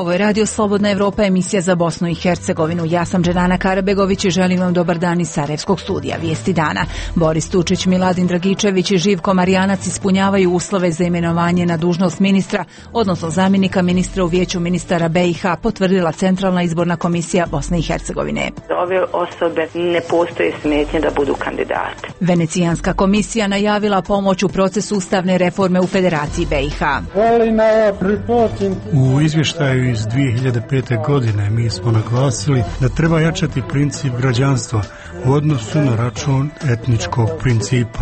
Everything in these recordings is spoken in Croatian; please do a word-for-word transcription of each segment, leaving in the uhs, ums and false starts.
Ovo je Radio Slobodna Evropa, emisija za Bosnu i Hercegovinu. Ja sam Dženana Karabegović i želim vam dobar dan iz Sarajevskog studija. Vijesti dana. Boris Tučić, Miladin Dragičević i Živko Marijanac ispunjavaju uslove za imenovanje na dužnost ministra, odnosno zamjenika ministra u Vijeću ministara B i H, potvrdila Centralna izborna komisija Bosne i Hercegovine. Ove osobe ne postoje smetnje da budu kandidati. Venecijanska komisija najavila pomoć u procesu ustavne reforme u Federaciji B i H. U izvještaju iz dvije hiljade pete. godine mi smo naglasili da treba jačati princip građanstva u odnosu na račun etničkog principa,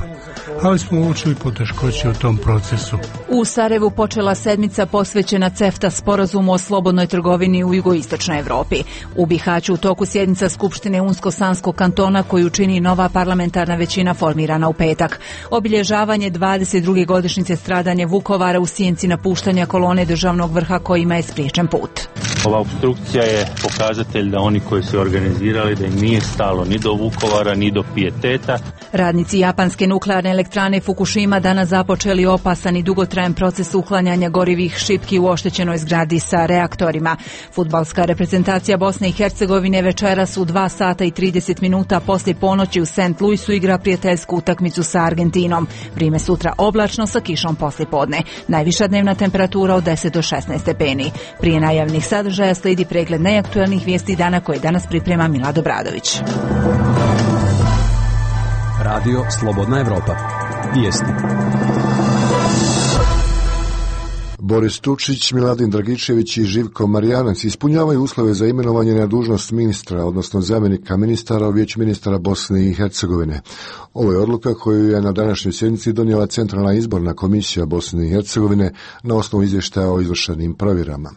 ali smo uočili poteškoće u tom procesu. U Sarajevu počela sedmica posvećena CEFTA sporazumu o slobodnoj trgovini u jugoistočnoj Evropi. U Bihaću u toku sjednica Skupštine Unsko-Sanskog kantona koju čini nova parlamentarna većina formirana u petak. Obilježavanje dvadeset druge godišnjice stradanja Vukovara u sjenci napuštanja kolone državnog vrha kojima je spriječen put. Ova opstrukcija je pokazatelj da oni koji su organizirali da im nije stalo ni do Vukovara ni do pijeteta. Radnici japanske nuklearne elektrane Fukushima danas započeli opasan i dugotrajan proces uklanjanja gorivih šipki u oštećenoj zgradi sa reaktorima. Fudbalska reprezentacija Bosne i Hercegovine večeras u dva sata i trideset minuta poslije ponoći u Saint Louisu igra prijateljsku utakmicu sa Argentinom. Vrijeme sutra oblačno sa kišom poslije podne. Najviša dnevna temperatura od deset do šesnaest stepeni. Prije najavnih sadržaja slijedi pregled najaktualnijih vijesti dana koje danas priprema Milad Obradović. Radio Slobodna Evropa. Vijesti. Boris Tučić, Miladin Dragičević i Živko Marijanac ispunjavaju uslove za imenovanje na dužnost ministra, odnosno zamjenika ministara u Vijeću ministara Bosne i Hercegovine. Ovo je odluka koju je na današnjoj sjednici donijela Centralna izborna komisija Bosne i Hercegovine na osnovu izvještaja o izvršenim provjerama.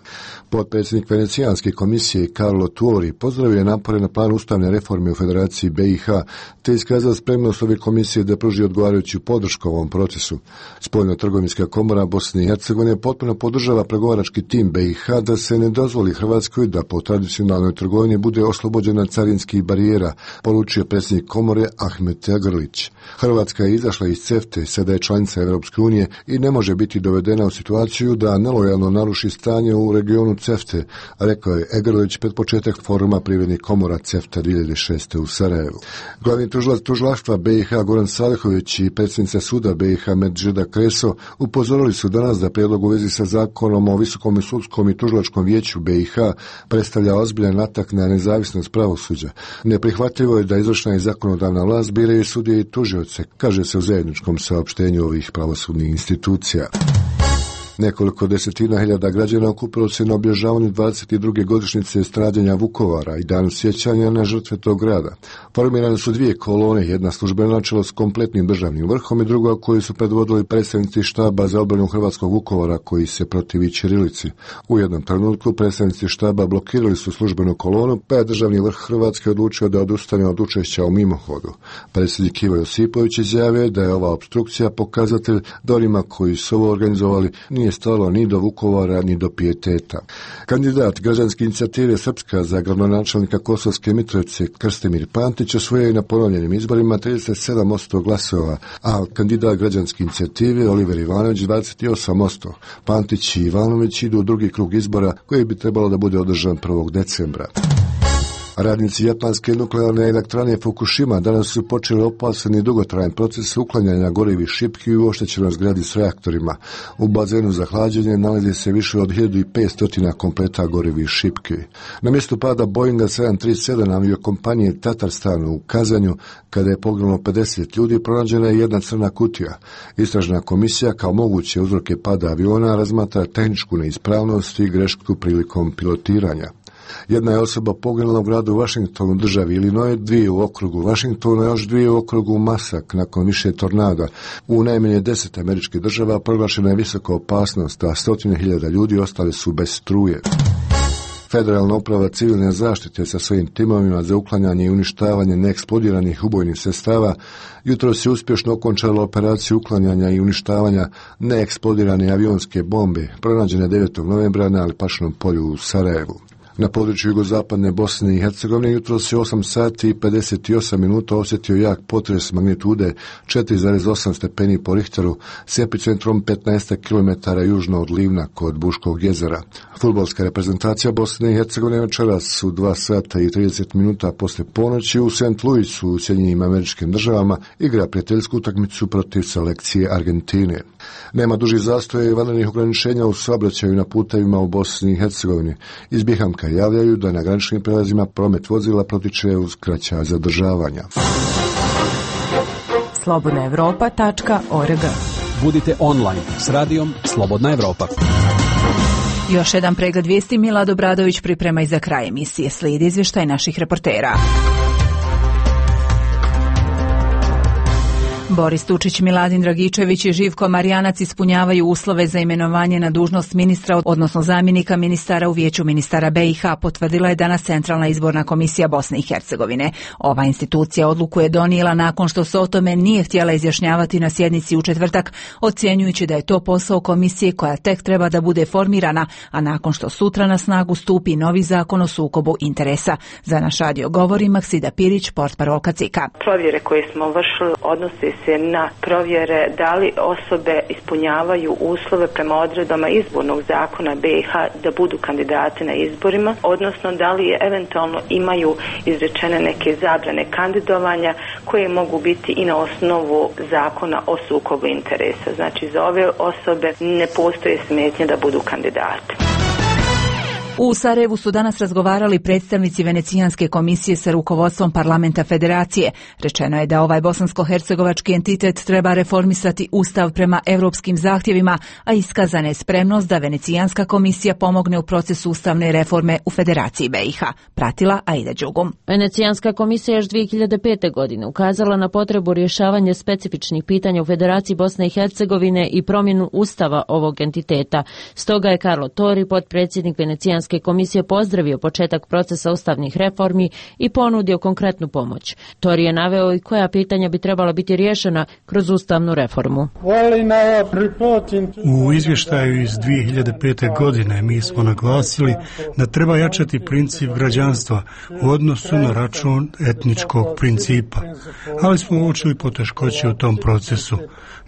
Potpredsjednik Venecijanske komisije Carlo Tuori pozdravio je napore na planu ustavne reforme u Federaciji B i H, te iskazao spremnost ove komisije da pruži odgovarajuću podršku ovom procesu. Spoljno-trgovinska komora Bosne i Hercegovine potpuno podržava pregovarački tim B i H da se ne dozvoli Hrvatskoj da po tradicionalnoj trgovini bude oslobođena carinskih barijera, poručio predsjednik komore Ahmet Egrlić. Hrvatska je izašla iz CEFTE, sada je članica Europske unije i ne može biti dovedena u situaciju da nelojalno naruši stanje u regionu CEFTE, rekao je Egrlić pred početak foruma privrednih komora CEFTA dvije hiljade šeste. u Sarajevu. Glavni tužilac tužilaštva B i H Goran Salehović i predsjednica suda B i H Medžeda Kreso upozorili su danas da prijedlog u vezi sa zakonom o Visokom sudskom i tužilačkom vijeću B i H predstavlja ozbiljan atak na nezavisnost pravosuđa. Neprihvatljivo je da izvršna i zakonodavna vlast biraju sudije i tužioce, kaže se u zajedničkom saopštenju ovih pravosudnih institucija. Nekoliko desetina hiljada građana okupilo se na obilježavanju dvadeset druge godišnjice stradanja Vukovara i danu sjećanja na žrtve tog grada. Formirane su dvije kolone, jedna službeno na čelo s kompletnim državnim vrhom i druga koju su predvodili predstavnici štaba za obranu hrvatskog Vukovara koji se protivi ćirilici. U jednom trenutku predstavnici štaba blokirali su službenu kolonu, pa je državni vrh Hrvatske odlučio da odustane od učešća u mimohodu. Predsjednik Ivo Josipović izjavio da je ova opstrukcija pokazatelj da onima koji su ovo organizovali nije stalo ni do Vukovara ni do pijeteta. Kandidat građanske inicijative Srpska za gradonačelnika Kosovske Mitrovice Krstimir Pantić osvojio je na ponovljenim izborima trideset sedam posto glasova, a kandidat građanske inicijative Oliver Ivanović dvadeset osam posto. Pantić i Ivanović idu u drugi krug izbora koji bi trebalo da bude održan prvog decembra. Radnici japanske nuklearne elektrane Fukushima danas su počeli opasan i dugotrajan proces uklanjanja gorivih šipki u oštećenoj zgradi s reaktorima. U bazenu za hlađenje nalazi se više od hiljadu petsto kompleta gorivih šipki. Na mjestu pada Boeinga sedam trideset sedam aviokompanije Tatarstan u Kazanju, kada je poginulo pedeset ljudi, pronađena je jedna crna kutija. Istražna komisija kao moguće uzroke pada aviona razmatra tehničku neispravnost i grešku prilikom pilotiranja. Jedna je osoba poginula u gradu Washingtonu, državi Illinois, dvije u okrugu Washingtona, još dvije u okrugu Masak nakon više tornada. U najmanje deset američkih država proglašena je visoka opasnost, a stotine hiljada ljudi ostali su bez struje. Federalna uprava civilne zaštite sa svojim timovima za uklanjanje i uništavanje neeksplodiranih ubojnih sredstava jutros je uspješno okončala operaciju uklanjanja i uništavanja neeksplodirane avionske bombe pronađene devetog novembra na Alpašinom polju u Sarajevu. Na području jugozapadne Bosne i Hercegovine jutros se osam sati i pedeset osam minuta osjetio jak potres magnitude četiri zarez osam stepeni po Richteru s epicentrom petnaest kilometara južno od Livna kod Buškog jezera. Fudbalska reprezentacija Bosne i Hercegovine večeras u dva sata i trideset minuta posle ponoći u Saint Louisu u Sjedinjenim Američkim Državama igra prijateljsku utakmicu protiv selekcije Argentine. Nema dužih zastoja i vanrednih ograničenja u saobraćaju na putevima u Bosni i Hercegovini. Iz Bihamka javljaju da na graničnim prelazima promet vozila protiče uz kraća zadržavanja. slobodna evropa tačka org. Budite online s radijom Slobodna Evropa. Još jedan pregled vijesti Milad Obradović priprema i za kraj emisije. Slijedi izvještaj naših reportera. Boris Tučić, Miladin Dragičević i Živko Marjanac ispunjavaju uslove za imenovanje na dužnost ministra, odnosno zamjenika ministara u Vijeću ministara B i H, potvrdila je danas Centralna izborna komisija Bosne i Hercegovine. Ova institucija odluku je donijela nakon što se o tome nije htjela izjašnjavati na sjednici u četvrtak, ocjenjujući da je to posao komisije koja tek treba da bude formirana, a nakon što sutra na snagu stupi novi zakon o sukobu interesa. Za naš radio govori Maksida Pirić, portparolka C I K-a. Provjere koje smo vršili odnose se na provjere da li osobe ispunjavaju uslove prema odredbama izbornog zakona B i H da budu kandidati na izborima, odnosno da li je eventualno imaju izrečene neke zabrane kandidovanja koje mogu biti i na osnovu zakona o sukobu interesa. Znači za ove osobe ne postoje smetnje da budu kandidati. U Sarajevu su danas razgovarali predstavnici Venecijanske komisije sa rukovodstvom parlamenta federacije. Rečeno je da ovaj bosansko-hercegovački entitet treba reformisati ustav prema europskim zahtjevima, a iskazana je spremnost da Venecijanska komisija pomogne u procesu ustavne reforme u Federaciji B i H. Pratila Aida Đugum. Venecijanska komisija još dvije hiljade pete. godine ukazala na potrebu rješavanja specifičnih pitanja u Federaciji Bosne i Hercegovine i promjenu ustava ovog entiteta. Stoga je Carlo Tori, potpredsjednik Venecijanske komisije, pozdravio početak procesa ustavnih reformi i ponudio konkretnu pomoć. Tori je naveo i koja pitanja bi trebala biti riješena kroz ustavnu reformu. U izvještaju iz dvije hiljade pete. godine mi smo naglasili da treba jačati princip građanstva u odnosu na račun etničkog principa, ali smo uočili poteškoće u tom procesu.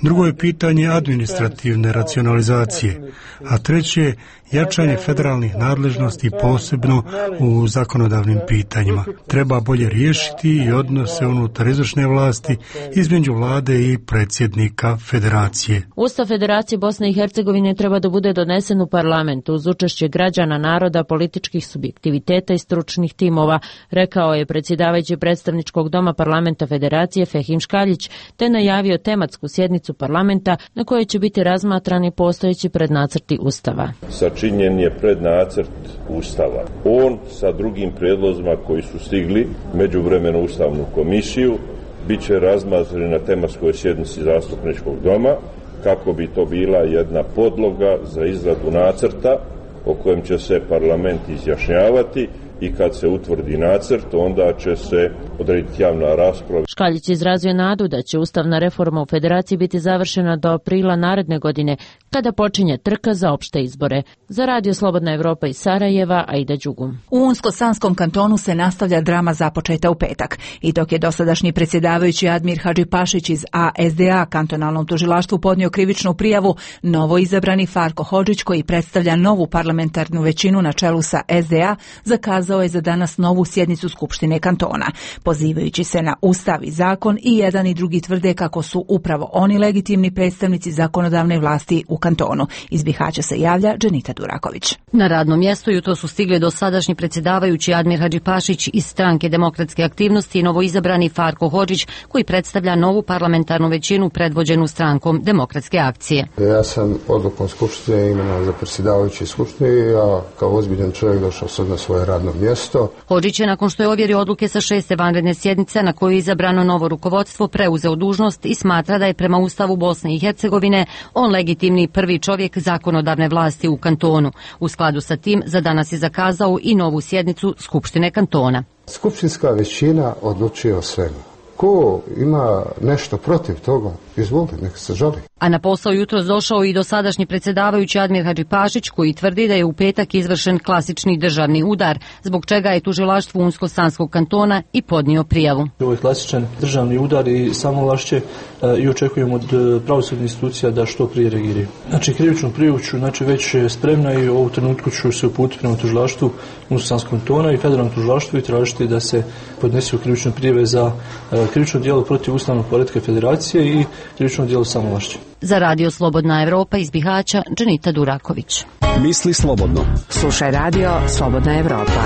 Drugo je pitanje administrativne racionalizacije, a treće je jačanje federalnih nadležnosti posebno u zakonodavnim pitanjima. Treba bolje riješiti i odnose unutar izvršne vlasti između vlade i predsjednika federacije. Ustav Federacije Bosne i Hercegovine treba da bude donesen u parlamentu uz učešće građana, naroda, političkih subjektiviteta i stručnih timova, rekao je predsjedavajući predstavničkog doma parlamenta federacije Fehim Škaljić, te najavio tematsku sjednicu parlamenta na kojoj će biti razmatrani postojeći prednacrti ustava. Sačinjen je prednacrt ustava. On sa drugim prijedlozima koji su stigli međuvremeno ustavnu komisiju bit će razmatran na tematskoj sjednici zastupničkog doma kako bi to bila jedna podloga za izradu nacrta o kojem će se parlament izjašnjavati i kad se utvrdi nacrt, onda će se odrediti javna rasprava. Škaljić izrazio nadu da će ustavna reforma u Federaciji biti završena do aprila naredne godine, kada počinje trka za opšte izbore. Za Radio Slobodna Evropa iz Sarajeva, Aida Đugum. U Unsko-Sanskom kantonu se nastavlja drama započeta u petak. I dok je dosadašnji predsjedavajući Admir Hadžipašić iz A S D A kantonalnom tužilaštvu podnio krivičnu prijavu, novo izabrani Farko Hodžić, koji predstavlja novu parlamentarnu većinu na čelu sa S D A, zakazao je za danas novu sjednicu Skupštine kantona. Pozivajući se na ustav i zakon, i jedan i drugi tvrde kako su upravo oni legitimni predstavnici zakonodavne vlasti u kantonu. Iz Bihaća se javlja Dženita Duraković. Na radnom mjestu jutro su stigli dosadašnji predsjedavajući Admir Hadžipašić iz stranke Demokratske aktivnosti i novoizabrani Farko Hodžić, koji predstavlja novu parlamentarnu većinu predvođenu strankom Demokratske akcije. Ja sam odlukom Skupštine imenovan za predsjedavajući Skupštine i ja kao ozbiljan čovjek došao sad na svoje radno mjesto. Hodžić je, nakon što je ovjerio odluke sa šeste vanredne sjednice na kojoj je izabrano novo rukovodstvo, preuzeo dužnost i smatra da je prema Ustavu Bosne i Hercegovine on legitimni prvi čovjek zakonodavne vlasti u kantonu. U skladu sa tim za danas je zakazao i novu sjednicu Skupštine kantona. Skupštinska većina odlučuje o svemu. Ko ima nešto protiv toga, izvolite, neka se žali. A na posao jutros došao i dosadašnji predsjedavajući Admir Hadžipašić, koji tvrdi da je u petak izvršen klasični državni udar, zbog čega je tužilaštvo Unsko-Sanskog kantona i podnio prijavu. Ovo je klasičan državni udar i samovlašće i očekujemo od pravosudnih institucija da što prije reagiraju. Znači, krivičnu prijavu ću, znači, već spremna i u ovu trenutku ću se uputiti prema tužilaštvu Unsko-Sanskog kantona i federalnom tužilaštvu i tražiti da se podnesu krivične prijave za krivično djelo protiv ustavnog poretka federacije i krivično djelo samovlašće. Za Radio Slobodna Evropa iz Bihaća, Dženita Duraković. Misli slobodno. Slušaj Radio Slobodna Evropa.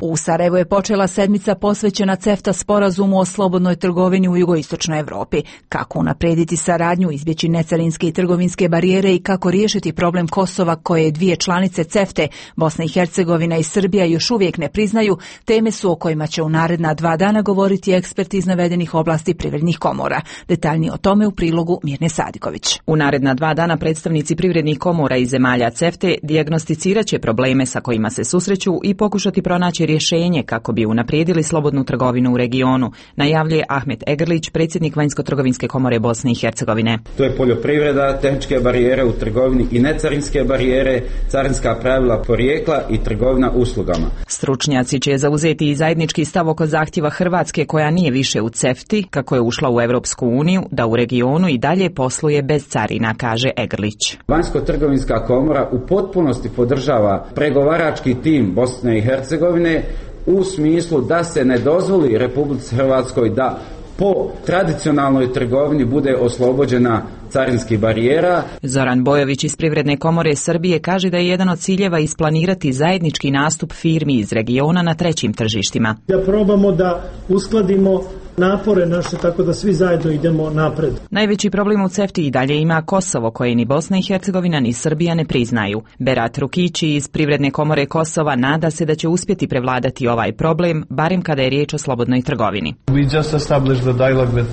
U Sarajevu je počela sedmica posvećena CEFTA sporazumu o slobodnoj trgovini u jugoistočnoj Evropi. Kako unaprijediti saradnju, izbjeći necarinske i trgovinske barijere i kako riješiti problem Kosova koje dvije članice CEFTE, Bosna i Hercegovina i Srbija, još uvijek ne priznaju, teme su o kojima će u naredna dva dana govoriti eksperti iz navedenih oblasti privrednih komora. Detaljnije o tome u prilogu Mirne Sadiković. U naredna dva dana predstavnici privrednih komora iz zemalja CEFTE dijagnosticirat će probleme sa kojima se susreću i pokušati pronaći rješenje kako bi unaprijedili slobodnu trgovinu u regionu, najavljuje Ahmet Egrlić, predsjednik Vanjsko-trgovinske komore Bosne i Hercegovine. To je poljoprivreda, tehničke barijere u trgovini i necarinske barijere, carinska pravila porijekla i trgovina uslugama. Stručnjaci će zauzeti i zajednički stav oko zahtjeva Hrvatske, koja nije više u CEFTI, kako je ušla u Europsku uniju, da u regionu i dalje posluje bez carina, kaže Egrlić. Vanjsko-trgovinska komora u potpunosti podržava pregovarački tim Bosne i Hercegovine u smislu da se ne dozvoli Republici Hrvatskoj da po tradicionalnoj trgovini bude oslobođena carinskih barijera. Zoran Bojović iz Privredne komore Srbije kaže da je jedan od ciljeva isplanirati zajednički nastup firmi iz regiona na trećim tržištima. Da probamo da uskladimo napore naše tako da svi zajedno idemo napred. Najveći problem u CEFTI i dalje ima Kosovo, koje ni Bosna i Hercegovina ni Srbija ne priznaju. Berat Rukići iz Privredne komore Kosova nada se da će uspjeti prevladati ovaj problem, barem kada je riječ o slobodnoj trgovini.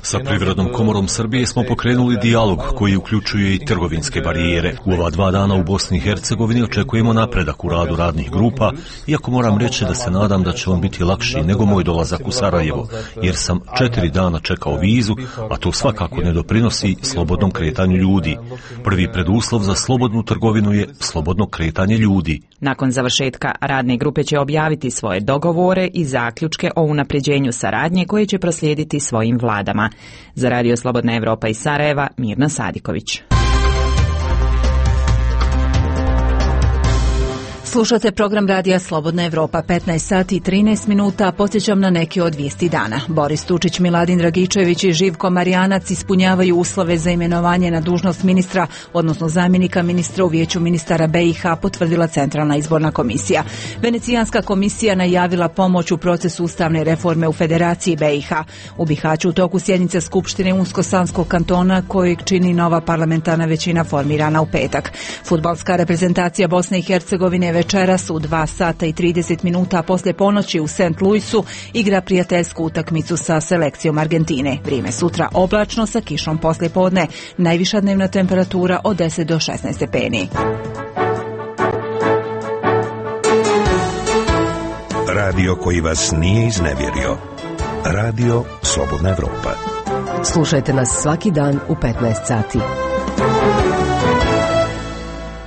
Sa Privrednom komorom Srbije smo pokrenuli dijalog koji uključuje i trgovinske barijere. U ova dva dana u Bosni i Hercegovini očekujemo napredak u radu radnih grupa, iako moram reći da se nadam da će on biti lakši nego moj dolazak u Sarajevo, jer sam četiri dana čekao vizu, a to svakako ne doprinosi slobodnom kretanju ljudi. Prvi preduslov za slobodnu trgovinu je slobodno kretanje ljudi. Nakon završetka radne grupe će objaviti svoje dogovore i zaključke o unapređenju saradnje koje će proslijediti svojim vladama. Za Radio Slobodna Evropa iz Sarajeva, Mirna Sadiković. Slušate program Radija Slobodna Evropa, petnaest sati i trinaest minuta, podsjećam na neke od vijesti dana. Boris Tučić, Miladin Dragičević i Živko Marijanac ispunjavaju uslove za imenovanje na dužnost ministra, odnosno zamjenika ministra u Vijeću ministara B i H, potvrdila Centralna izborna komisija. Venecijanska komisija najavila pomoć u procesu ustavne reforme u Federaciji B i H. U Bihaću u toku sjednice Skupštine Unsko-Sanskog kantona, kojeg čini nova parlamentarna većina formirana u petak. Fudbalska reprezentacija Bosne i Hercegovine večeras u dva sata i trideset minuta poslije ponoći u Saint Louisu igra prijateljsku utakmicu sa selekcijom Argentine. Vrijeme sutra oblačno sa kišom poslije podne. Najviša dnevna temperatura od deset do šesnaest stepeni. Radio koji vas nije iznevjerio. Radio Slobodna Evropa. Slušajte nas svaki dan u petnaest sati.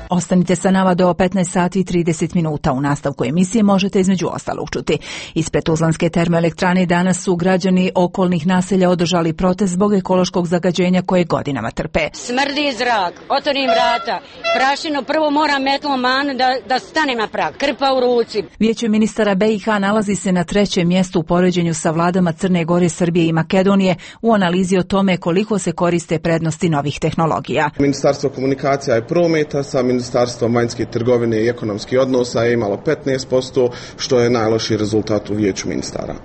Ostanite sa nama do petnaest sati i trideset minuta. U nastavku emisije možete između ostalog čuti. Ispred Tuzlanske termoelektrane danas su građani okolnih naselja održali protest zbog ekološkog zagađenja koje godinama trpe. Smrdi zrak, otvorim vrata, prašinu prvo moram metlom manu da, da stane na prag, krpa u ruci. Vijeće ministara B i H nalazi se na trećem mjestu u poređenju sa vladama Crne Gore, Srbije i Makedonije u analizi o tome koliko se koriste prednosti novih tehnologija. Ministarstvo komunikacija i prometa sa Ministarstvo vanjske trgovine i ekonomskih odnosa je imalo petnaest posto, što je najlošiji rezultat u Vijeću ministara.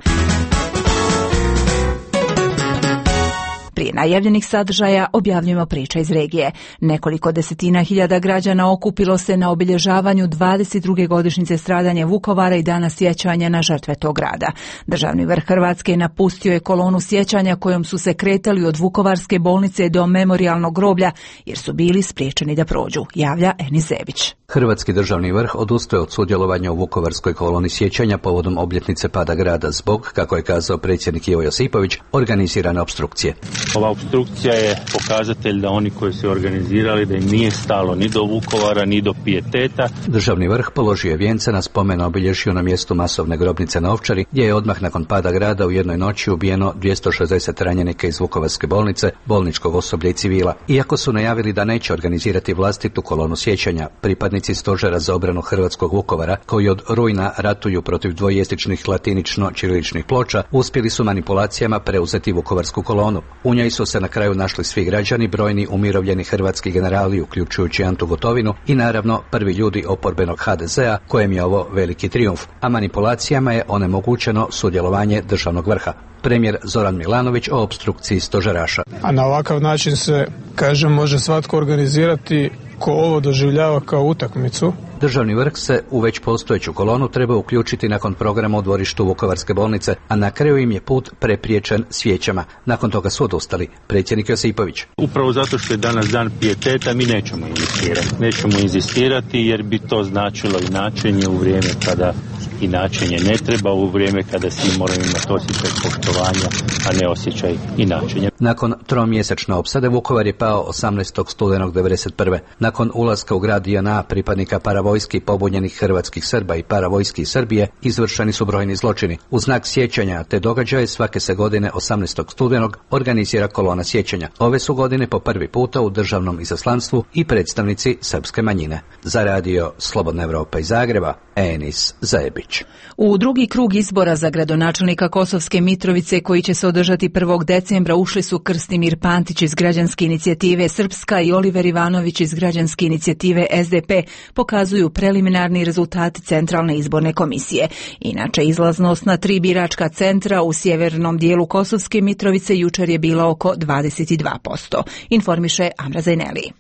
Prije najavljenih sadržaja objavljujemo priče iz regije. Nekoliko desetina hiljada građana okupilo se na obilježavanju dvadeset druge godišnjice stradanja Vukovara i dana sjećanja na žrtve tog grada. Državni vrh Hrvatske napustio je kolonu sjećanja kojom su se kretali od Vukovarske bolnice do memorijalnog groblja jer su bili spriječeni da prođu, javlja Enis Zebić. Hrvatski državni vrh odustaje od sudjelovanja u Vukovarskoj koloni sjećanja povodom obljetnice pada grada zbog, kako je kazao predsjednik Ivo Josipović, organizirane opstrukcije. Ova opstrukcija je pokazatelj da oni koji su organizirali da im nije stalo ni do Vukovara ni do pijeteta. Državni vrh položio je vijence na spomen obilježju na mjestu masovne grobnice na Ovčari, gdje je odmah nakon pada grada u jednoj noći ubijeno dvjesto šezdeset ranjenika iz Vukovarske bolnice, bolničkog osoblja i civila. Iako su najavili da neće organizirati vlastitu kolonu sjećanja, pripadnici stožera za obranu hrvatskog Vukovara, koji od rujna ratuju protiv dvojezičnih latinično-ćiriličnih ploča, uspjeli su manipulacijama preuzeti Vukovarsku kolonu. U njoj su se na kraju našli svi građani, brojni umirovljeni hrvatski generali, uključujući Antu Gotovinu i naravno prvi ljudi oporbenog ha de zea, kojem je ovo veliki trijumf, a manipulacijama je onemogućeno sudjelovanje državnog vrha. Premijer Zoran Milanović o opstrukciji stožeraša. A na ovakav način se, kažem, može svatko organizirati ko ovo doživljava kao utakmicu. Državni vrh se u već postojeću kolonu treba uključiti nakon programa u dvorištu Vukovarske bolnice, a na kraju im je put prepriječen svijećama. Nakon toga su odustali. Predsjednik Josipović. Upravo zato što je danas dan pijeteta, mi nećemo inzistirati. Nećemo inzistirati jer bi to značilo inačenje u vrijeme kada inačenje ne treba, u vrijeme kada svi moraju imati osjećaj poštovanja, a ne osjećaj inačenja. Nakon tromjesečne opsade Vukovar je pao osamnaestog studenog devedeset prve. Nakon ulaska u grad J N A pripadnika paravojski pobunjenih hrvatskih Srba i paravojski iz Srbije izvršeni su brojni zločini. U znak sjećanja te događaje svake se godine osamnaestog studenog organizira kolona sjećanja. Ove su godine po prvi puta u državnom izaslanstvu i predstavnici srpske manjine. Za radio Slobodna Evropa iz Zagreba, Enis Zebić. U drugi krug izbora za gradonačelnika Kosovske Mitrovice, koji će se održati prvog decembra, ušli su Krstimir Pantić iz građanske inicijative Srpska i Oliver Ivanović iz građanske inicijative S D P, pokazuju preliminarni rezultati Centralne izborne komisije. Inače, izlaznost na tri biračka centra u sjevernom dijelu Kosovske Mitrovice jučer je bila oko dvadeset dva posto, informiše Amra Zajneli.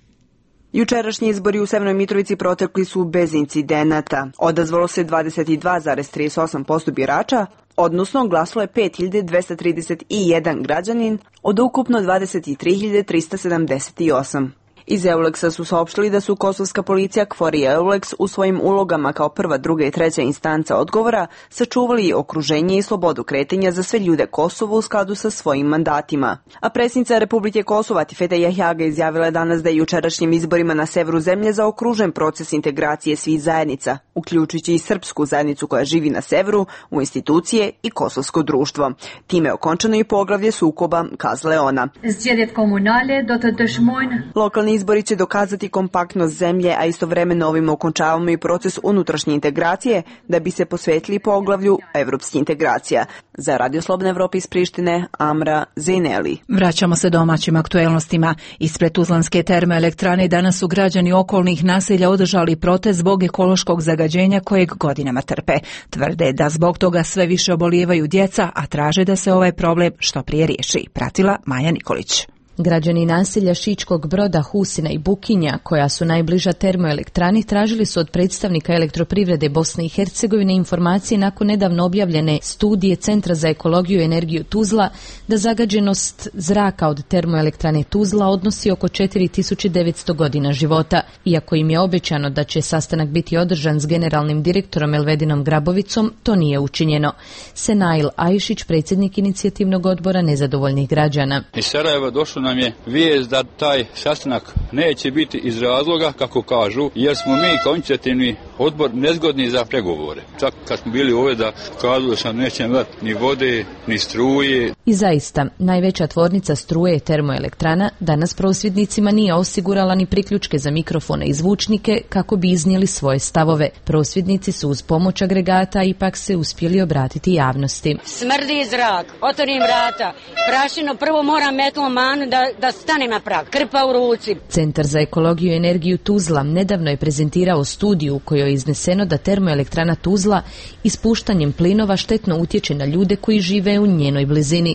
Jučerašnji izbori u Severnoj Mitrovici protekli su bez incidenata. Odazvalo se dvadeset dva zarez trideset osam posto birača, odnosno glasalo je pet hiljada dvjesto trideset jedan građanin od ukupno dvadeset tri hiljade trista sedamdeset osam. Iz Euleksa su saopštili da su kosovska policija, KFOR i Euleks u svojim ulogama kao prva, druga i treća instanca odgovora sačuvali okruženje i slobodu kretanja za sve ljude Kosova u skladu sa svojim mandatima. A predsjednica Republike Kosova Tifete Jahjaga izjavila je danas da je jučerašnjim izborima na severu zemlje zaokružen proces integracije svih zajednica, uključujući i srpsku zajednicu koja živi na severu, u institucije i kosovsko društvo. Time je okončano i poglavlje sukoba, kazala je ona. Lokalni izbori će dokazati kompaktnost zemlje, a istovremeno ovim okončavamo i proces unutrašnje integracije da bi se posvetili poglavlju evropskih integracija. Za Radio Slobodna Evropa iz Prištine, Amra Zajneli. Vraćamo se domaćim aktuelnostima. Ispred Tuzlanske termoelektrane danas su građani okolnih naselja održali protest zbog ekološkog zagađenja kojeg godinama trpe. Tvrde da zbog toga sve više obolijevaju djeca, a traže da se ovaj problem što prije riješi. Pratila Maja Nikolić. Građani naselja Šičkog Broda, Husina i Bukinja, koja su najbliža termoelektrani, tražili su od predstavnika elektroprivrede Bosne i Hercegovine informacije nakon nedavno objavljene studije Centra za ekologiju i energiju Tuzla da zagađenost zraka od termoelektrane Tuzla odnosi oko četiri tisuće devetsto godina života. Iako im je obećano da će sastanak biti održan s generalnim direktorom Elvedinom Grabovicom, to nije učinjeno. Senail Ajšić, predsjednik inicijativnog odbora nezadovoljnih građana. Iz Sarajeva došlo nam je vijest da taj sastanak neće biti iz razloga, kako kažu, jer smo mi kao inicijativni odbor nezgodni za pregovore. Čak kad smo bili ovdje da kazali sam nećemo dati ni vode, ni struje. I zaista, najveća tvornica struje termoelektrana danas prosvjednicima nije osigurala ni priključke za mikrofone i zvučnike kako bi iznijeli svoje stavove. Prosvjednici su uz pomoć agregata ipak se uspjeli obratiti javnosti. Smrdi zrak, otvorim vrata, prašino, prvo moram metlom manu da, da stane na prag, krpa u ruci. Centar za ekologiju i energiju Tuzla nedavno je prezentirao studiju u kojoj je izneseno da termoelektrana Tuzla ispuštanjem plinova štetno utječe na ljude koji žive u njenoj blizini.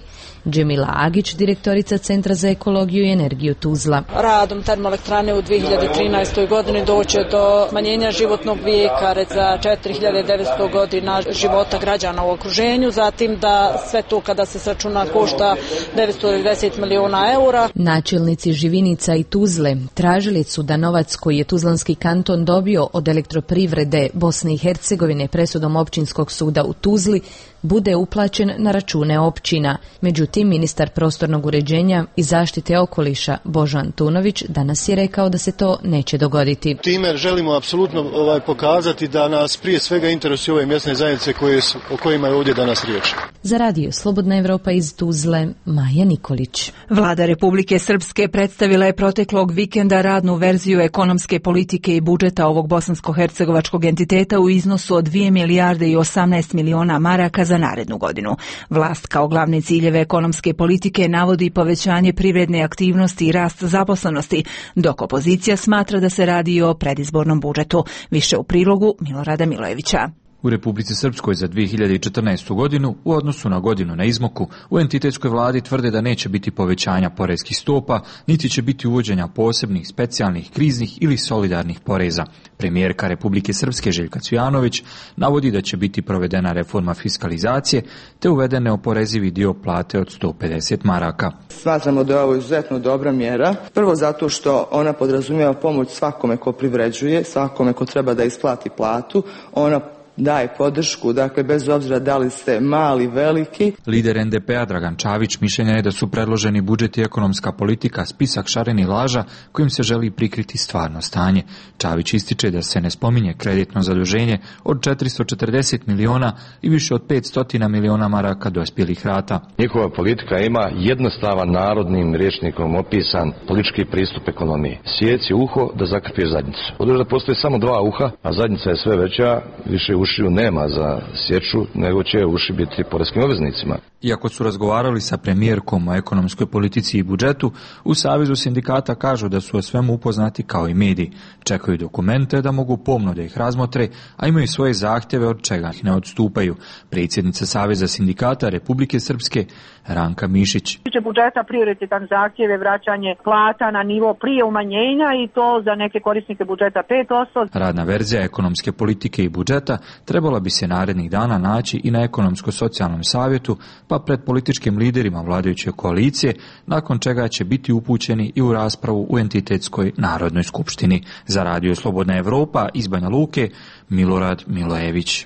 Džemila Agić, direktorica Centra za ekologiju i energiju Tuzla. Radom termoelektrane u dvije hiljade trinaestoj. godini doće do smanjenja životnog vijeka za četiri hiljade devetsto godina života građana u okruženju, zatim da sve to kada se sračuna košta devetsto devedeset miliona eura. Načelnici Živinica i Tuzle tražili su da novac koji je Tuzlanski kanton dobio od elektroprivrede Bosne i Hercegovine presudom općinskog suda u Tuzli bude uplaćen na račune općina. Međutim, ministar prostornog uređenja i zaštite okoliša Božo Antunović danas je rekao da se to neće dogoditi. Time želimo apsolutno ovaj, pokazati da nas prije svega interesuje ove mjesne zajednice koje su, o kojima je ovdje danas riječ. Za radio Slobodna Evropa iz Tuzle, Maja Nikolić. Vlada Republike Srpske predstavila je proteklog vikenda radnu verziju ekonomske politike i budžeta ovog bosansko-hercegovačkog entiteta u iznosu od dvije milijarde i osamnaest miliona maraka za narednu godinu. Vlast kao glavne ciljeve ekonomske politike navodi povećanje privredne aktivnosti i rast zaposlenosti, dok opozicija smatra da se radi o predizbornom budžetu. Više u prilogu Milorada Milojevića. U Republici Srpskoj za dvije hiljade četrnaestu. godinu u odnosu na godinu na izmaku u entitetskoj vladi tvrde da neće biti povećanja poreskih stopa, niti će biti uvođenja posebnih, specijalnih, kriznih ili solidarnih poreza. Premijerka Republike Srpske Željka Cvijanović navodi da će biti provedena reforma fiskalizacije te uvedene oporezivi dio plate od sto pedeset maraka. Smatramo da je ovo izuzetno dobra mjera. Prvo zato što ona podrazumijeva pomoć svakome ko privređuje, svakome ko treba da isplati platu. Ona daje podršku, dakle bez obzira da li ste mali, veliki. Lider en de pe a Dragan Čavić mišljenja je da su predloženi budžet i ekonomska politika spisak šarenih laža kojim se želi prikriti stvarno stanje. Čavić ističe da se ne spominje kreditno zaduženje od četiristo četrdeset miliona i više od petsto miliona maraka dospjelih rata. Njihova politika ima jednostavan narodnim rječnikom opisan politički pristup ekonomiji. Sjeci uho da zakrpije zadnjicu. Odnosno da postoji samo dva uha, a zadnjica je sve veća, više ušiju nema za sječu, nego će uši biti poreskim obveznicima. Iako su razgovarali sa premijerkom o ekonomskoj politici i budžetu, u Savezu sindikata kažu da su o svemu upoznati kao i mediji. Čekaju dokumente da mogu pomno da ih razmotre, a imaju svoje zahtjeve od čega ih ne odstupaju. Predsjednica Saveza sindikata Republike Srpske Ranka Mišić. Tiče budžeta prioritetan zahtjev je vraćanje plata na nivo prije umanjenja i to za neke korisnike budžeta pet posto. Radna verzija ekonomske politike i budžeta trebala bi se narednih dana naći i na ekonomsko-socijalnom savjetu, pa pred političkim liderima vladajuće koalicije, nakon čega će biti upućeni i u raspravu u entitetskoj Narodnoj skupštini. Za radio Slobodna Evropa iz Banja Luke, Milorad Milojević.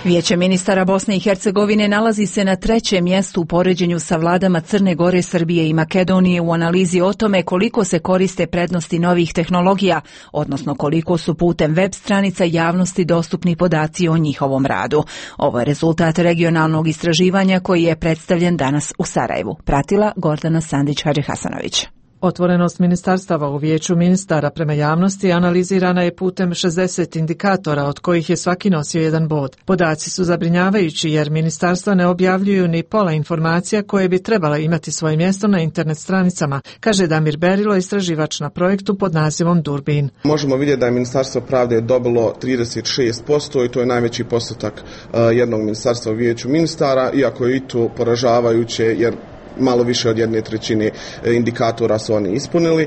Vijeće ministara Bosne i Hercegovine nalazi se na trećem mjestu u poređenju sa vladama Crne Gore, Srbije i Makedonije u analizi o tome koliko se koriste prednosti novih tehnologija, odnosno koliko su putem web stranica javnosti dostupni podaci o njihovom radu. Ovo je rezultat regionalnog istraživanja koji je predstavljen danas u Sarajevu. Pratila Gordana Sandić-Hadžihasanović. Otvorenost ministarstava u vijeću ministara prema javnosti analizirana je putem šezdeset indikatora, od kojih je svaki nosio jedan bod. Podaci su zabrinjavajući jer ministarstva ne objavljuju ni pola informacija koje bi trebala imati svoje mjesto na internet stranicama, kaže Damir Berilo, istraživač na projektu pod nazivom Durbin. Možemo vidjeti da je Ministarstvo pravde dobilo trideset šest posto i to je najveći postotak jednog ministarstva u vijeću ministara, iako je i to poražavajuće jer malo više od jedne trećine indikatora su oni ispunili.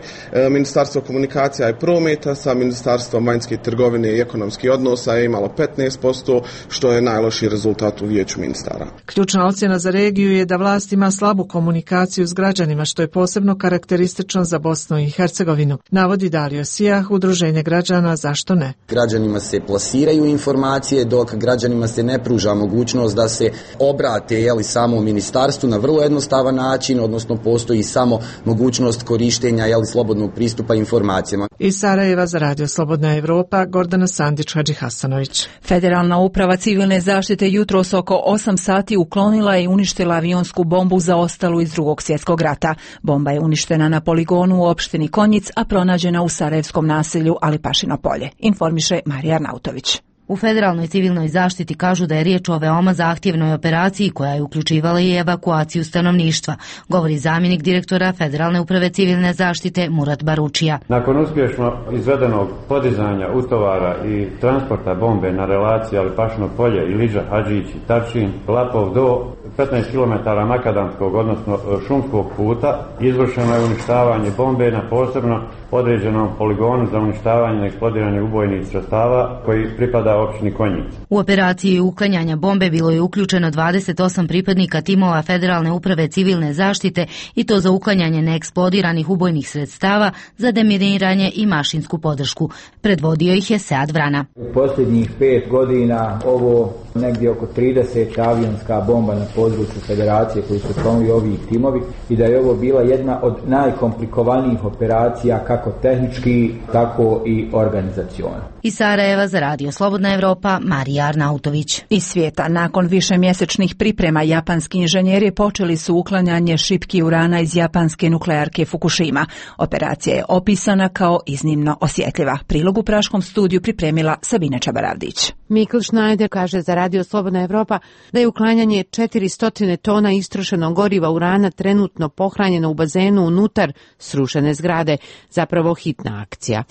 Ministarstvo komunikacija i prometa sa Ministarstvom vanjske trgovine i ekonomskih odnosa je imalo petnaest posto, što je najlošiji rezultat u vijeću ministara. Ključna ocjena za regiju je da vlast ima slabu komunikaciju s građanima, što je posebno karakteristično za Bosnu i Hercegovinu. Navodi Dario Sijah, Udruženje građana Zašto ne? Građanima se plasiraju informacije, dok građanima se ne pruža mogućnost da se obrate jeli, samo ministarstvu na vrlo jednostavan način, odnosno postoji samo mogućnost korištenja jeli, slobodnog pristupa informacijama. Iz Sarajeva za radio Slobodna Evropa, Gordana Sandić-Hadžihasanović. Federalna uprava civilne zaštite jutros oko osam sati uklonila i uništila avionsku bombu zaostalu iz Drugog svjetskog rata. Bomba je uništena na poligonu u opštini Konjic, a pronađena u sarajevskom naselju Alipašino polje, informiše Marija Arnautović. U Federalnoj civilnoj zaštiti kažu da je riječ o veoma zahtjevnoj operaciji koja je uključivala i evakuaciju stanovništva, govori zamjenik direktora Federalne uprave civilne zaštite Murat Baručija. Nakon uspješno izvedenog podizanja utovara i transporta bombe na relaciji Alipašino polje, Iliđa, Hadžić i Tačin, Lapov do petnaest kilometara makadamskog, odnosno šumskog puta, izvršeno je uništavanje bombe na posebno određenom poligonu za uništavanje neeksplodiranih ubojnih sredstava koji pripada općini Konjic. U operaciji uklanjanja bombe bilo je uključeno dvadeset osam pripadnika timova Federalne uprave civilne zaštite i to za uklanjanje neeksplodiranih ubojnih sredstava, za deminiranje i mašinsku podršku. Predvodio ih je Sead Vrana. U posljednjih pet godina ovo negdje oko trideset avionska bomba na području Federacije koji su članovi ovih timovi i da je ovo bila jedna od najkomplikovanijih operacija kako tehnički, tako i organizaciono. Iz Sarajeva za Radio Slobodna Evropa, Marija Arnautović. Iz svijeta, nakon višemjesečnih priprema, japanski inženjeri počeli su uklanjanje šipki urana iz japanske nuklearke Fukushima. Operacija je opisana kao iznimno osjetljiva. Prilog u Praškom studiju pripremila Sabina Čabaravdić. Mikl Schneider kaže za Radio Slobodna Evropa da je uklanjanje četiristo tona istrošenog goriva urana trenutno pohranjeno u bazenu unutar srušene zgrade, zapravo hitna akcija.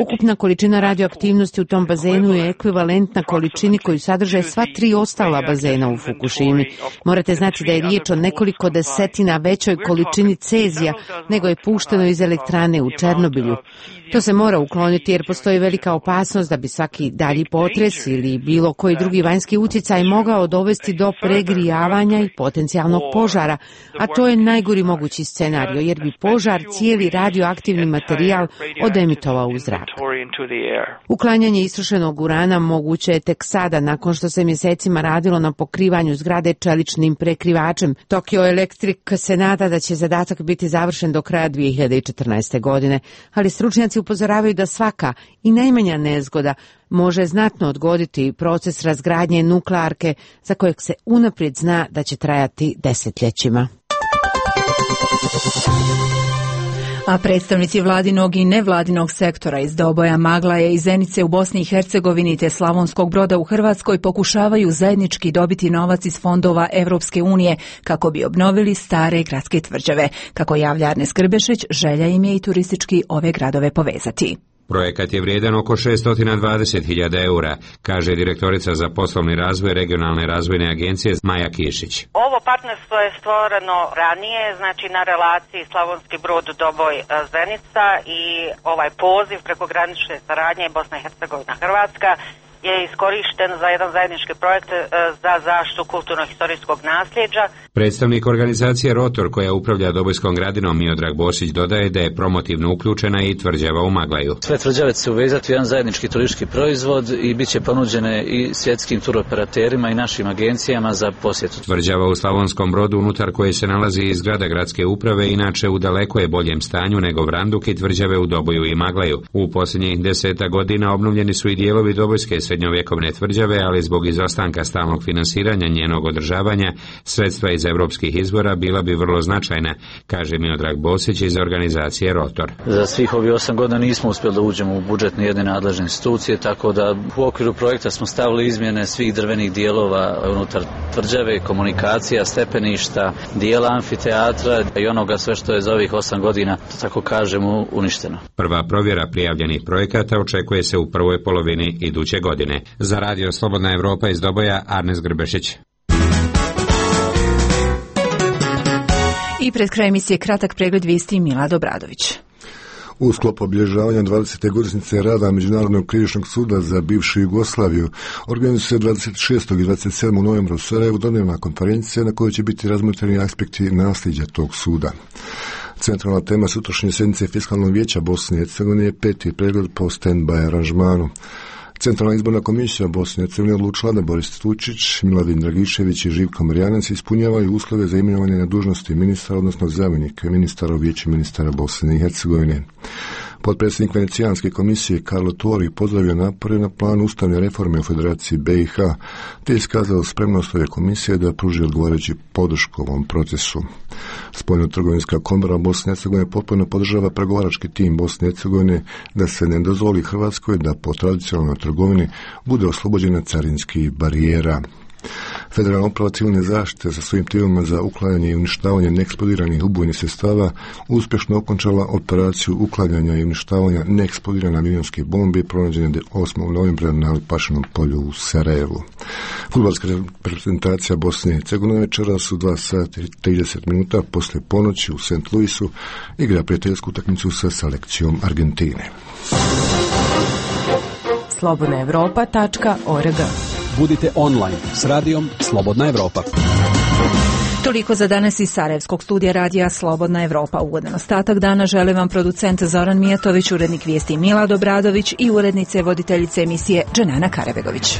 Ukupna količina radioaktivnosti u tom bazenu je ekvivalentna količini koju sadrže sva tri ostala bazena u Fukushimi. Morate znati da je riječ o nekoliko desetina većoj količini cezija nego je pušteno iz elektrane u Černobilju. To se mora ukloniti jer postoji velika opasnost da bi svaki dalji potres ili bilo koji drugi vanjski utjecaj mogao dovesti do pregrijavanja i potencijalnog požara, a to je najgori mogući scenario jer bi požar cijeli radioaktivni materijal odemitovao u zrak. Uklanjanje istrošenog urana moguće je tek sada nakon što se mjesecima radilo na pokrivanju zgrade čeličnim prekrivačem. Tokyo Electric se nada da će zadatak biti završen do kraja dvije hiljade četrnaeste. godine, ali stručnjaci upozoravaju da svaka i najmanja nezgoda može znatno odgoditi proces razgradnje nuklearke za kojeg se unaprijed zna da će trajati desetljećima. A predstavnici vladinog i nevladinog sektora iz Doboja, Maglaje i Zenice u Bosni i Hercegovini te Slavonskog Broda u Hrvatskoj pokušavaju zajednički dobiti novac iz fondova Evropske unije kako bi obnovili stare gradske tvrđave. Kako javlja Arnes Grbešić, želja im je i turistički ove gradove povezati. Projekat je vrijedan oko šesto dvadeset hiljada eura, kaže direktorica za poslovni razvoj regionalne razvojne agencije Maja Kišić. Ovo partnerstvo je stvoreno ranije, znači na relaciji Slavonski Brod, Doboj, Zenica i ovaj poziv prekogranične saradnje Bosna i Hercegovina Hrvatska je iskorišten za jedan zajednički projekt za zaštitu kulturno-historijskog nasljeđa. Predstavnik organizacije Rotor, koja upravlja Dobojskom gradinom, Miodrag Bosić, dodaje da je promotivno uključena i tvrđava u Maglaju. Sve tvrđave će se uvezati u jedan zajednički turistički proizvod i bit će ponuđene i svjetskim turoperaterima i našim agencijama za posjetu. Tvrđava u Slavonskom Brodu, unutar koje se nalazi i zgrada gradske uprave, inače u daleko je boljem stanju nego Vranduk i tvrđave u Doboju i Maglaju. U posljednjih deseta godina obnovljeni su i dijelovi Dobojske srednjovjekovne tvrđave, ali zbog izostanka stalnog finansiranja njenog održavanja, sredstva iz europskih izvora bila bi vrlo značajna, kaže Miodrag Bosić iz organizacije Rotor. Za svih ovih osam godina nismo uspjeli da uđemo u budžet ni jedne nadležne institucije, tako da u okviru projekta smo stavili izmjene svih drvenih dijelova unutar tvrđave, komunikacija, stepeništa, dijela amfiteatra i onoga sve što je za ovih osam godina, tako kažemo, uništeno. Prva provjera prijavljenih projekata očekuje se u prvoj polovini iduće godine. Za Radio Slobodna Evropa iz Doboja, Arnes Grbešić. I pred kraj emisije kratak pregled vijesti Milad Obradović. U sklopu obilježavanja dvadesete godišnjice rada Međunarodnog krivičnog suda za bivšu Jugoslaviju organizuje se dvadeset šestog i dvadeset sedmog novembra u Sarajevu dnevna konferencija na kojoj će biti razmotreni aspekti nasljeđa tog suda. Centralna tema sutrašnje sjednice Fiskalnog vijeća Bosne i Hercegovine je peti pregled po stand-by aranžmanu. Centralna izborna komisija Bosne i Hercegovine odlučila da Boris Tučić, Miladin Dragišević i Živko Marjanac ispunjavaju uslove za imenovanje na dužnosti ministra, odnosno zamjenika ministara u vijeću ministara Bosne i Hercegovine. Potpredsjednik Venecijanske komisije Karlo Tori pozdravio napore na planu ustavne reforme u Federaciji B i H, te iskazao spremnost ove komisije da pruži odgovarajući podršku ovom procesu. Spoljno-trgovinska komora Bosne i Hercegovine potpuno podržava pregovarački tim Bosne i Hercegovine da se ne dozvoli Hrvatskoj da po tradicionalnoj trgovini bude oslobođena carinskih barijera. Federalna uprava civilne zaštite sa svojim timima za uklanjanje i uništavanje neeksplodiranih ubojnih sredstava uspješno okončala operaciju uklanjanja i uništavanja neeksplodirane avionske bombe pronađene osmog novembra na Lipašinom polju u Sarajevu. Fudbalska reprezentacija Bosne i Hercegovine večeras u dva sata i trideset minuta poslije ponoći u Saint Louisu igra prijateljsku utakmicu sa selekcijom Argentine. slobodna evropa tačka org. Budite online s radijom Slobodna Evropa. Toliko za danas iz Sarajevskog studija radija Slobodna Evropa. Ugodan ostatak dana žele vam producent Zoran Mijatović, urednik vijesti Milad Obradović i urednice voditeljice emisije Dženana Karabegović.